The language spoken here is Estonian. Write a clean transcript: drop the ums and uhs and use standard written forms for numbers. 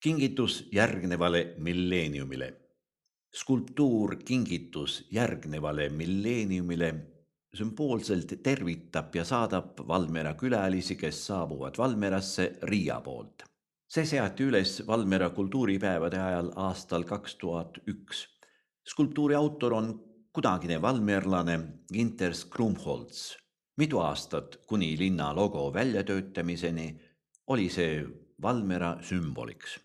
Kingitus järgnevale milleeniumile. Skulptuur kingitus järgnevale milleeniumile sümboolselt tervitab ja saadab Valmiera külalisi, kes saabuvad Valmierasse Riia poolt. See seati üles Valmiera kultuuripäevade ajal aastal 2001. Skulptuuri autor on kunagine valmierlane Ginter Skrumholz. Mitu aastat kuni linna logo väljatöötamiseni oli see Valmiera sümboliks.